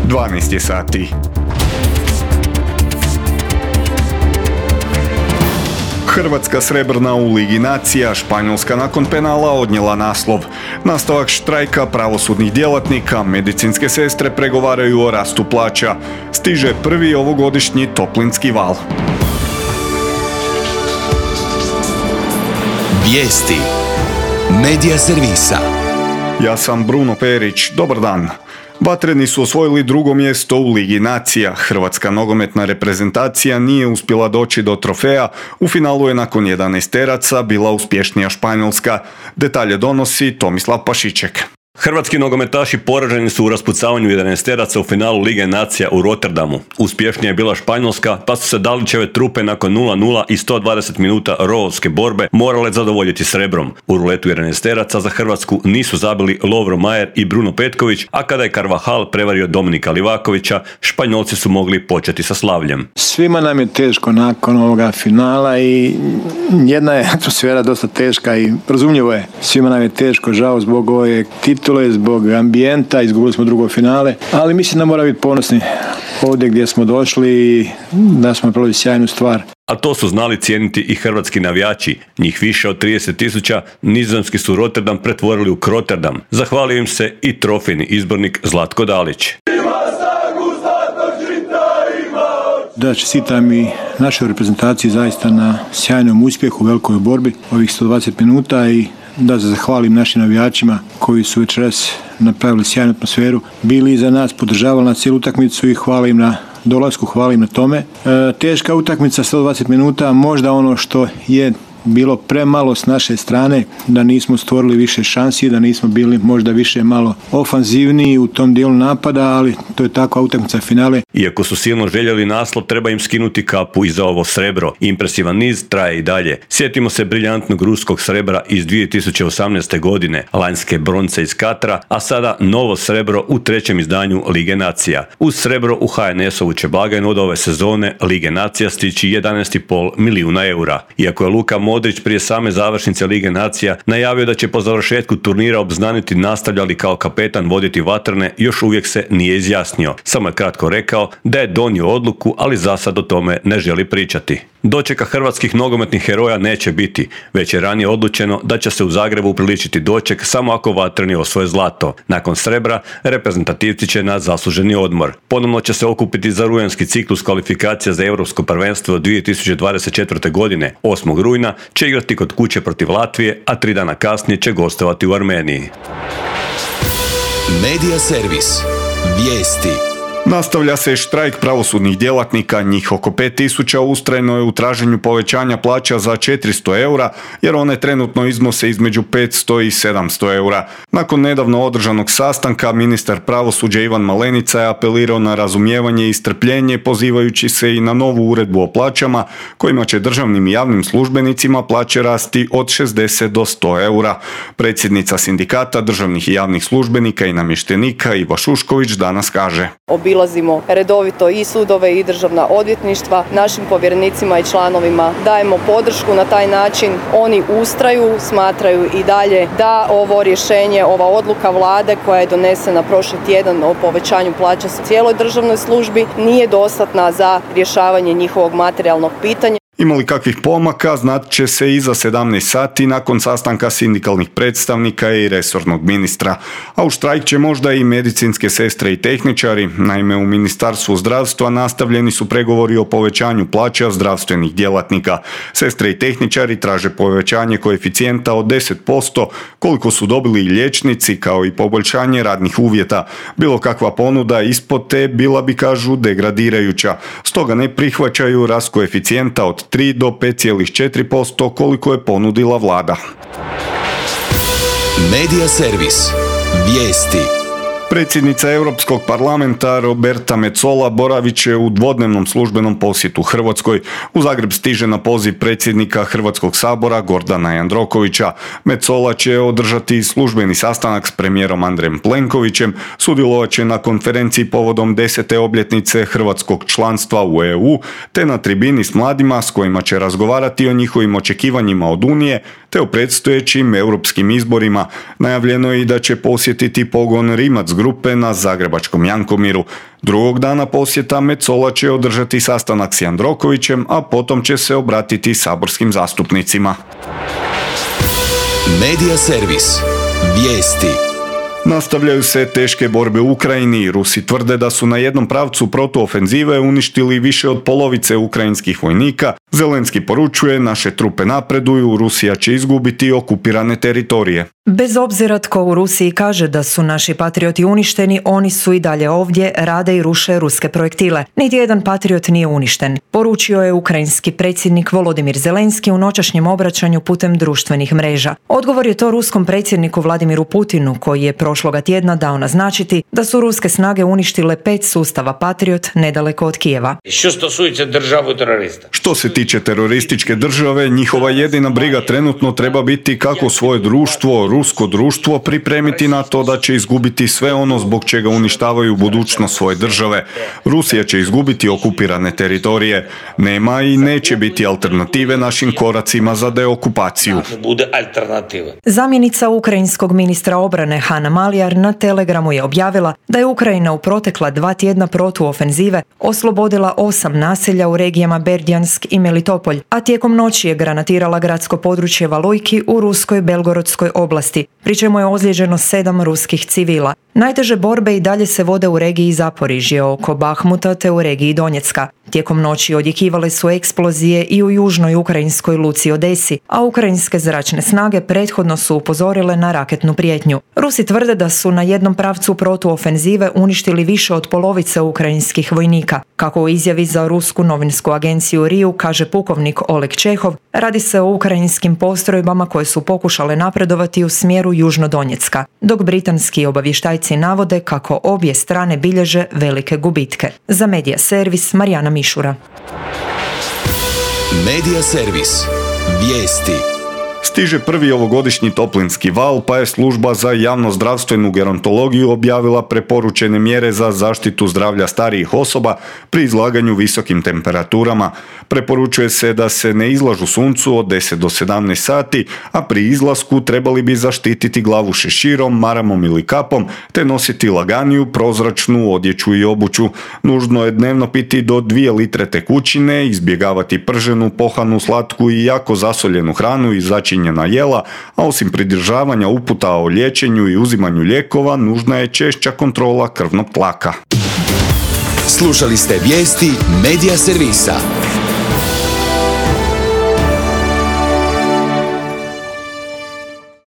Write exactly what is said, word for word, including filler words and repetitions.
dvanaest je sati. Hrvatska srebrna u Ligi nacija, Španjolska nakon penala odnijela naslov. Nastavak štrajka pravosudnih djelatnika, medicinske sestre pregovaraju o rastu plaća. Stiže prvi ovogodišnji toplinski val. Vijesti Medija servisa. Ja sam Bruno Perić, dobar dan. Vatreni su osvojili drugo mjesto u Ligi nacija. Hrvatska nogometna reprezentacija nije uspjela doći do trofeja. U finalu je nakon jedanaesteraca bila uspješnija Španjolska. Detalje donosi Tomislav Pašiček. Hrvatski nogometaši poraženi su u raspucavanju jedanaesteraca u finalu Lige nacija u Rotterdamu. Uspješnija je bila Španjolska, pa su se Dalićeve trupe nakon nula nula i sto dvadeset minuta rovovske borbe morale zadovoljiti srebrom. U ruletu jedanaesteraca za Hrvatsku nisu zabili Lovro Majer i Bruno Petković, a kada je Carvajal prevario Dominika Livakovića, Španjolci su mogli početi sa slavljem. Svima nam je teško nakon ovoga finala i jedna je atmosfera dosta teška i razumljivo je. Svima nam je teško, žao zbog ove titule, zbog ambijenta, izgubili smo drugo finale, ali mislim da moramo biti ponosni ovdje gdje smo došli i da smo napravili sjajnu stvar. A to su znali cijeniti i hrvatski navijači. Njih više od trideset tisuća, nizozemski su Rotterdam pretvorili u Krotterdam. Zahvalio im se i trofejni izbornik Zlatko Dalić. Da, čestitam i našoj reprezentaciji zaista na sjajnom uspjehu, velikoj borbi ovih sto dvadeset minuta i da se zahvalim našim navijačima koji su večeras napravili sjajnu atmosferu, bili iza nas, podržavali na cijelu utakmicu i hvala im na dolasku, hvala im na tome. E, teška utakmica, sto dvadeset minuta, možda ono što je bilo premalo s naše strane, da nismo stvorili više šansi, da nismo bili možda više malo ofanzivniji u tom dijelu napada, ali to je takva utakmica finale. Iako su silno željeli naslov, treba im skinuti kapu i za ovo srebro. Impresivan niz traje i dalje. Sjetimo se briljantnog ruskog srebra iz dvije tisuće osamnaeste. godine, lanjske bronce iz Katra, a sada novo srebro u trećem izdanju Lige nacija. Uz srebro u ha en es-ovu će blagajnu od ove sezone Lige nacija stići jedanaest i pol milijuna eura. Iako je Luka Modrić prije same završnice Lige nacija najavio da će po završetku turnira obznaniti nastavlja li kao kapetan voditi vatrene, još uvijek se nije izjasnio. Samo je kratko rekao da je donio odluku, ali za sad o tome ne želi pričati. Dočeka hrvatskih nogometnih heroja neće biti, već je ranije odlučeno da će se u Zagrebu upriličiti doček samo ako vatreni osvoje zlato. Nakon srebra, reprezentativci će na zasluženi odmor. Ponovno će se okupiti za rujanski ciklus kvalifikacija za Europsko prvenstvo dvije tisuće dvadeset četvrte. godine. osmog rujna će igrati kod kuće protiv Latvije, a tri dana kasnije će gostovati u Armeniji. Medija servis. Vijesti. Nastavlja se štrajk pravosudnih djelatnika, njih oko pet tisuća ustrajno je u traženju povećanja plaća za četiristo eura, jer one trenutno iznose između petsto i sedamsto eura. Nakon nedavno održanog sastanka, ministar pravosuđa Ivan Malenica je apelirao na razumijevanje i strpljenje, pozivajući se i na novu uredbu o plaćama, kojima će državnim i javnim službenicima plaće rasti od šezdeset do sto eura. Predsjednica sindikata državnih i javnih službenika i namještenika Iva Šušković danas kaže: Obilazimo redovito i sudove i državna odvjetništva, našim povjerenicima i članovima dajemo podršku na taj način. Oni ustraju, smatraju i dalje da ovo rješenje, ova odluka vlade koja je donesena prošli tjedan o povećanju plaća u cijeloj državnoj službi nije dostatna za rješavanje njihovog materijalnog pitanja. Ima li kakvih pomaka, znat će se i za sedamnaest sati nakon sastanka sindikalnih predstavnika i resornog ministra. A u štrajk će možda i medicinske sestre i tehničari. Naime, u Ministarstvu zdravstva nastavljeni su pregovori o povećanju plaća zdravstvenih djelatnika. Sestre i tehničari traže povećanje koeficijenta od deset posto, koliko su dobili i liječnici, kao i poboljšanje radnih uvjeta. Bilo kakva ponuda ispod te bila bi, kažu, degradirajuća. Stoga ne prihvaćaju rast koeficijenta od tri do pet zarez četiri posto koliko je ponudila vlada. Medija servis. Vijesti. Predsjednica Europskog parlamenta Roberta Metsola boravit će u dvodnevnom službenom posjetu Hrvatskoj. U Zagreb stiže na poziv predsjednika Hrvatskog sabora Gordana Jandrokovića. Metsola će održati službeni sastanak s premijerom Andrejem Plenkovićem, sudjelovat će na konferenciji povodom desete obljetnice hrvatskog članstva u E U, te na tribini s mladima s kojima će razgovarati o njihovim očekivanjima od Unije, te o predstojećim europskim izborima. Najavljeno je i da će posjetiti pogon Rimac grupe na zagrebačkom Jankomiru. Drugog dana posjeta Metsola će održati sastanak s Jandrokovićem, a potom će se obratiti saborskim zastupnicima. Medija servis. Vijesti. Nastavljaju se teške borbe u Ukrajini. Rusi tvrde da su na jednom pravcu protuofenzive uništili više od polovice ukrajinskih vojnika. Zelenski poručuje, naše trupe napreduju, Rusija će izgubiti okupirane teritorije. Bez obzira tko u Rusiji kaže da su naši patrioti uništeni, oni su i dalje ovdje, rade i ruše ruske projektile. Niti jedan patriot nije uništen, poručio je ukrajinski predsjednik Volodimir Zelenski u noćašnjem obraćanju putem društvenih mreža. Odgovor je to ruskom predsjedniku Vladimiru Putinu, koji je prošloga tjedna dao naznačiti da su ruske snage uništile pet sustava Patriot nedaleko od Kijeva. Što stosujete državu terorista? Što se tiče terorističke države, njihova jedina briga trenutno treba biti kako svoje društvo, rusko društvo, pripremiti na to da će izgubiti sve ono zbog čega uništavaju budućnost svoje države. Rusija će izgubiti okupirane teritorije. Nema i neće biti alternative našim koracima za deokupaciju. Zamjenica ukrajinskog ministra obrane Hanna Maliar na Telegramu je objavila da je Ukrajina u protekla dva tjedna protuofenzive oslobodila osam naselja u regijama Berdjansk i Melitopolj, a tijekom noći je granatirala gradsko područje Valujki u ruskoj Belgorodskoj oblasti, pri čemu je ozlijeđeno sedam ruskih civila. Najteže borbe i dalje se vode u regiji Zaporižje oko Bahmuta te u regiji Donjecka. Tijekom noći odjekivale su eksplozije i u južnoj ukrajinskoj luci Odesi, a ukrajinske zračne snage prethodno su upozorile na raketnu prijetnju. Rusi tvrde da su na jednom pravcu protuofenzive uništili više od polovice ukrajinskih vojnika. Kako u izjavi za rusku novinsku agenciju Riju kaže pukovnik Oleg Čehov, radi se o ukrajinskim postrojbama koje su pokušale napredovati u smjeru Južno-Donjecka, dok britanski obavještajci navode kako obje strane bilježe velike gubitke. Za Medija servis Marijana Mišura. Medija servis. Vijesti. Stiže prvi ovogodišnji toplinski val, pa je služba za javnozdravstvenu gerontologiju objavila preporučene mjere za zaštitu zdravlja starijih osoba pri izlaganju visokim temperaturama. Preporučuje se da se ne izlažu suncu od deset do sedamnaest sati, a pri izlasku trebali bi zaštititi glavu šeširom, maramom ili kapom, te nositi laganiju, prozračnu odjeću i obuću. Nužno je dnevno piti do dvije litre tekućine, izbjegavati prženu, pohanu, slatku i jako zasoljenu hranu i začinjena jela, a osim pridržavanja uputa o liječenju i uzimanju lijekova, nužna je češća kontrola krvnog tlaka. Slušali ste vijesti Medija servisa.